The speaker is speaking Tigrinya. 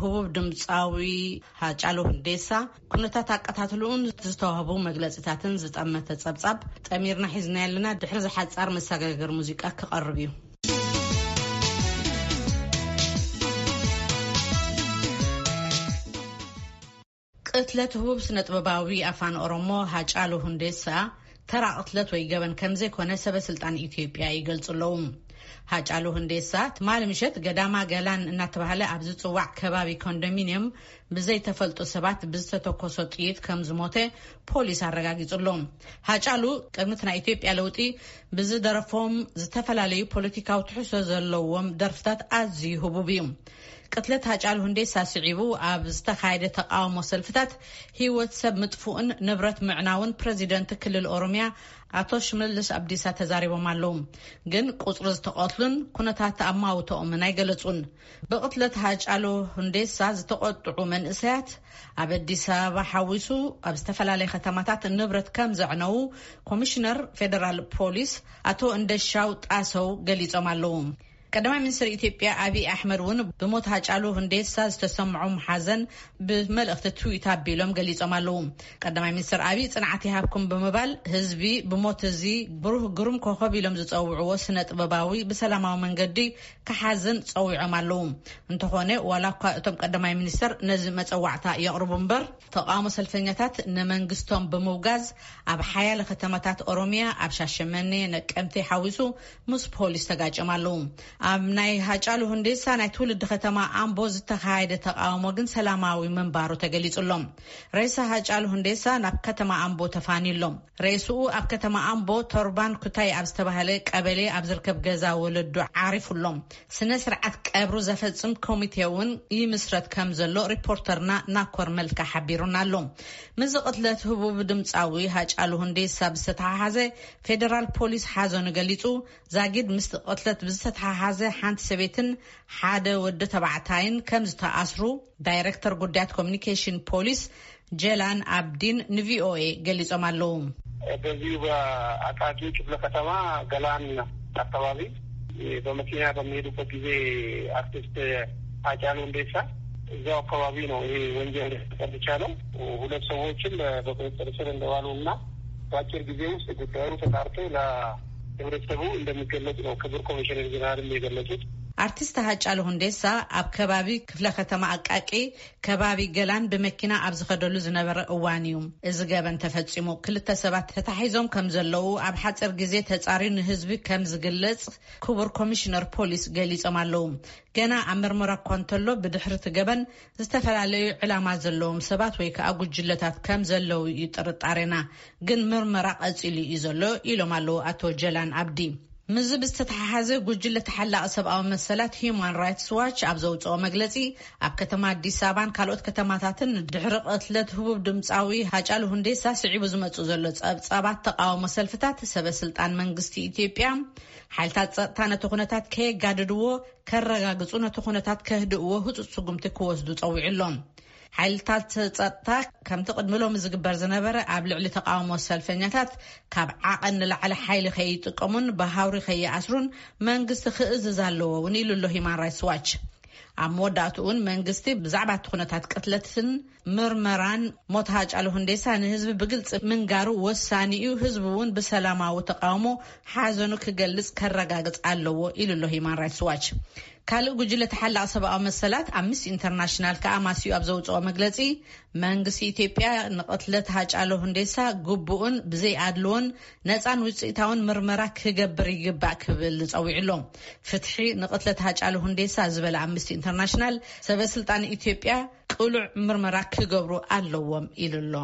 ህቡብ ድምፃዊ ሃጫሉ ሁንዴሳ ኩነታት ኣቀታትልኡን ዝተዋህቡ መግለፂታትን ዝጠመተ ፀብፃብ ጠሚርና ሒዝና ያለና። ድሕሪ ዝሓፃር መሰጋገር ሙዚቃ ክቐርብ እዩ። ቅትለት ህቡብ ስነ ጥበባዊ ኣፋን ኦሮሞ ሃጫሉ ሁንዴሳ ተራ ቅትለት ወይ ገበን ከም ዘይኮነ ሰበ ስልጣን ኢትዮጵያ ይገልጹ ኣለዉ። ሃጫሉ ሁንዴሳ ትማሊ ምሸት ገዳማ ገላን እናተባህለ ኣብ ዝጽዋዕ ከባቢ ኮንዶሚንየም ብዘይተፈልጡ ሰባት ብዝተተኮሶ ጥይት ከም ዝሞተ ፖሊስ ኣረጋጊጹ ኣሎ። ሃጫሉ ቅድሚ እቲ ናይ ኢትዮጵያ ለውጢ ብዝደረፎም ዝተፈላለዩ ፖለቲካዊ ትሕዝቶ ዘለዎም ደርፍታት ኣዝዩ ህቡብ እዩ። ቅትለት ሃጫሉ ሁንዴሳ ስዒቡ ኣብ ዝተኻየደ ተቃውሞ ሰልፍታት ህይወት ሰብ ምጥፉእን ንብረት ምዕናውን ፕረዚደንት ክልል ኦሮሚያ ኣቶ ሽመልስ ኣብዲሳ ተዛሪቦም ኣለዉ። ግን ቁጽሪ ዝተቐትሉን ኩነታት ኣማውተኦምን ኣይገለጹን። ብቕትለት ሃጫሉ ሁንዴሳ ዝተቆጥዑ መንእሰያት ኣብ ኣዲስ ኣበባ ሓዊሱ ኣብ ዝተፈላለየ ከተማታት ንብረት ከም ዘዕነዉ ኮሚሽነር ፌደራል ፖሊስ ኣቶ እንደሻው ጣሰው ገሊጾም ኣለዉ። ቀዳማይ ሚኒስትር ኢትዮጵያ ኣብይ ኣሕመድ እውን ብሞት ሃጫሉ ሁንዴሳ ዝተሰምዖም ሓዘን ብመልእኽቲ ትዊት ኣቢሎም ገሊጾም ኣለዉ። ቀዳማይ ሚኒስትር ኣብይ ጽንዓት ይሃብኩም ብምባል ህዝቢ ብሞት እዚ ብሩህ ግሩም ኮኸብ ኢሎም ዝጸውዕዎ ስነ ጥበባዊ ብሰላማዊ መንገዲ ክሓዝን ጸዊዖም ኣለዉ። እንተኾነ ዋላ እኳ እቶም ቀዳማይ ሚኒስትር ነዚ መጸዋዕታ የቕርቡ እምበር ተቃውሞ ሰልፈኛታት ንመንግስቶም ብምውጋዝ ኣብ ሓያለ ከተማታት ኦሮሚያ ኣብ ሻሸመኔ፣ ነቀምቴ ሓዊሱ ምስ ፖሊስ ተጋጭም ኣለዉ። ኣብ ናይ ሃጫሉ ሁንዴሳ ናይ ትውልዲ ከተማ ኣምቦ ዝተኻየደ ተቃውሞ ግን ሰላማዊ ምንባሩ ተገሊጹ ኣሎ። ሬሳ ሃጫሉ ሁንዴሳ ናብ ከተማ ኣምቦ ተፋንዩ ኣሎ። ሬስኡ ኣብ ከተማ ኣምቦ ቶርባን ኩታይ ኣብ ዝተባህለ ቀበሌ ኣብ ዝርከብ ገዛ ወለዱ ዓሪፉ ኣሎ። ስነ ስርዓት ቀብሩ ዘፈጽም ኮሚቴ እውን ይምስረት ከም ዘሎ ሪፖርተርና ናኮር መልካ ሓቢሩና ኣሎ። ምስዚ ቅትለት ህቡብ ድምፃዊ ሃጫሉ ሁንዴሳ ብዝተተሓሓዘ ፌደራል ፖሊስ ሓዘኑ ገሊጹ። ዛጊድ ምስቲ ቅትለት ብዝተተሓሓዘ ሓንቲ ሰበይትን ሓደ ወዲ ተባዕታይን ከም ዝተኣስሩ ዳይሬክተር ጉዳያት ኮሚኒኬሽን ፖሊስ ጀላን ኣብዲን ንቪኦኤ ገሊጾም ኣለዉ። በዚሁ በአቃቂ ክፍለ ከተማ ገላን አካባቢ በመኪና በሚሄዱበት ጊዜ አርቲስት ሃጫሉ ሁንዴሳ እዛው አካባቢ ነው ይሄ ወንጀል የተፈጸመው። ሁለት ሰዎችም በቁጥጥር ስር እንደዋሉ እና በአጭር ጊዜ ውስጥ ጉዳዩ ተጣርቶ ለህብረተሰቡ እንደሚገለጽ ነው ክቡር ኮሚሽነር ጀነራልም የገለጹት። አርቲስት ሃጫሉ ሁንዴሳ ኣብ ከባቢ ክፍለ ከተማ አቃቂ ከባቢ ገላን ብመኪና ኣብ ዝኸደሉ ዝነበረ እዋን እዩ እዚ ገበን ተፈጺሙ። ክልተ ሰባት ተታሒዞም ከም ዘለዉ ኣብ ሓጺር ግዜ ተጻርዩ ንህዝቢ ከም ዝግለጽ ክቡር ኮሚሽነር ፖሊስ ገሊጾም ኣለዉ። ገና ኣብ መርመራ እኳ እንተሎ ብድሕሪ እቲ ገበን ዝተፈላለዩ ዕላማ ዘለዎም ሰባት ወይ ከዓ ጉጅለታት ከም ዘለዉ እዩ ጥርጣሬና፣ ግን ምርመራ ቀጺሉ እዩ ዘሎ ኢሎም ኣለዉ ኣቶ ጀላን ኣብዲ። ምስዚ ብዝተተሓሓዘ ጉጅለ ተሓላቒ ሰብኣዊ መሰላት ሂዩማን ራይትስ ዋች ኣብ ዘውፅኦ መግለፂ ኣብ ከተማ ኣዲስ ኣበባን ካልኦት ከተማታትን ድሕሪ ቅትለት ህቡብ ድምፃዊ ሃጫሉ ሁንዴሳ ስዒቡ ዝመፁ ዘሎ ፀብፃባት ተቃውሞ ሰልፍታት ሰበ ስልጣን መንግስቲ ኢትዮጵያ ሓይልታት ፀጥታ ነቲ ኩነታት ከየጋድድዎ ከረጋግፁ ነቲ ኩነታት ከህድእዎ ህፁፅ ስጉምቲ ክወስዱ ፀዊዑ ኣሎ። ሓይልታት ጸጥታ ከምቲ ቅድሚ ሎሚ ዝግበር ዝነበረ ኣብ ልዕሊ ተቃውሞ ሰልፈኛታት ካብ ዓቐን ንላዕሊ ሓይሊ ከይጥቀሙን ብሃውሪ ከይኣስሩን መንግስቲ ክእዝዝ ኣለዎ እውን ኢሉ ኣሎ ሂማን ራይትስ ዋች። ኣብ መወዳእትኡ እውን መንግስቲ ብዛዕባ እቲ ኩነታት ቅትለትን ምርመራን ሞት ሃጫሉ ሁንዴሳ ንህዝቢ ብግልፂ ምንጋሩ ወሳኒ እዩ። ህዝቢ እውን ብሰላማዊ ተቃውሞ ሓዘኑ ክገልጽ ከረጋግጽ ኣለዎ ኢሉ ኣሎ ሂማን ራይትስ ዋች። ካልእ ጉጅለ ተሓላቒ ሰብኣዊ መሰላት ኣምነስቲ ኢንተርናሽናል ከኣ ማስዩ ኣብ ዘውፅኦ መግለፂ መንግስቲ ኢትዮጵያ ንቕትለት ሃጫሉ ሁንዴሳ ግቡእን ብዘይ ኣድልዎን ነፃን ውፅኢታውን ምርመራ ክገብር ይግባእ ክብል ፀዊዑ ኣሎ። ፍትሒ ንቕትለት ሃጫሉ ሁንዴሳ ዝበለ ኣምነስቲ ኢንተርናሽናል ሰበ ስልጣን ኢትዮጵያ ቅሉዕ ምርመራ ክገብሩ ኣለዎም ኢሉ ኣሎ።